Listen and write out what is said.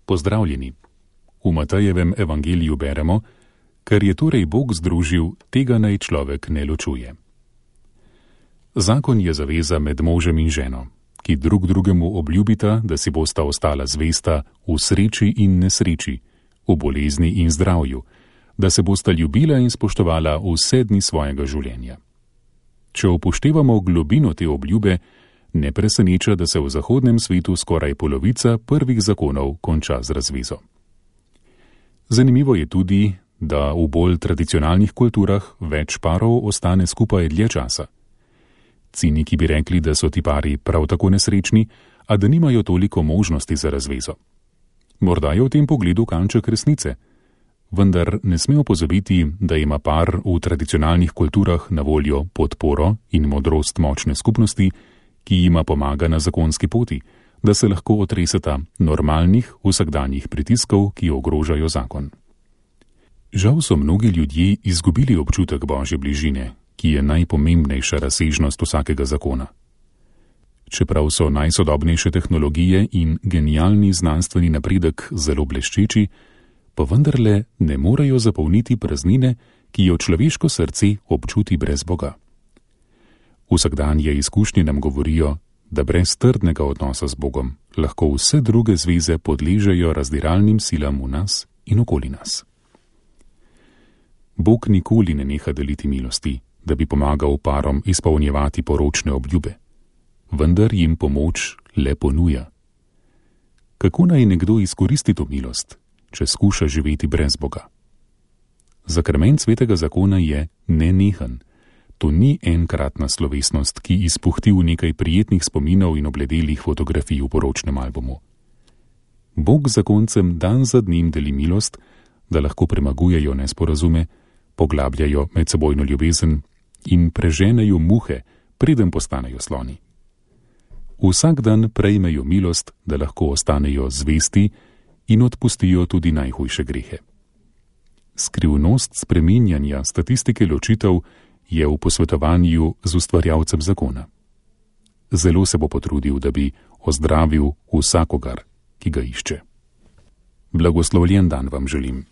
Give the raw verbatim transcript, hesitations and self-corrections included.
Pozdravljeni. V Matejevem evangeliju beremo: Ker je torej Bog združil, tega naj človek ne ločuje. Zakon je zaveza med možem in ženo, ki drug drugemu obljubita, da si bosta ostala zvesta v sreči in nesreči, v bolezni in zdravju, da se bosta ljubila in spoštovala vse dni svojega življenja. Če upoštevamo globino te obljube, ne preseneča, da se v zahodnem svetu skoraj polovica prvih zakonov konča z razvezo. Zanimivo je tudi, da v bolj tradicionalnih kulturah več parov ostane skupaj dlje časa. Ciniki bi rekli, da so ti pari prav tako nesrečni, a da nimajo toliko možnosti za razvezo. Morda je v tem pogledu kanček resnice, vendar ne smemo pozabiti, da ima par v tradicionalnih kulturah na voljo podporo in modrost močne skupnosti, ki jima pomaga na zakonski poti, da se lahko otreseta normalnih vsakdanjih pritiskov, ki ogrožajo zakon. Žal so mnogi ljudje izgubili občutek Božje bližine, ki je najpomembnejša razsežnost vsakega zakona. Čeprav so najsodobnejše tehnologije in genialni znanstveni napredek zelo bleščeči, pa vendarle ne morejo zapolniti praznine, ki jo človeško srce občuti brez Boga. Vsakdanje izkušnje nam govorijo, da brez trdnega odnosa z Bogom lahko vse druge zveze podležejo razdiralnim silam v nas in okoli nas. Bog nikoli ne neha deliti milosti, da bi pomagal parom izpolnjevati poročne obljube, vendar jim pomoč le ponuja. Kako naj nekdo izkoristi to milost, če skuša živeti brez Boga? Zakrament svetega zakona je nenehen. To ni enkratna slovesnost, ki izpuhti v nekaj prijetnih spominov in obledelih fotografij v poročnem albumu. Bog zakoncem dan za dnem deli milost, da lahko premagujejo nesporazume, poglabljajo medsebojno ljubezen in preženejo muhe, preden postanejo sloni. Vsak dan prejmejo milost, da lahko ostanejo zvesti in odpustijo tudi najhujše grehe. Skrivnost spreminjanja statistike ločitev je v posvetovanju z ustvarjalcem zakona. Zelo se bo potrudil, da bi ozdravil vsakogar, ki ga išče. Blagoslovljen dan vam želim.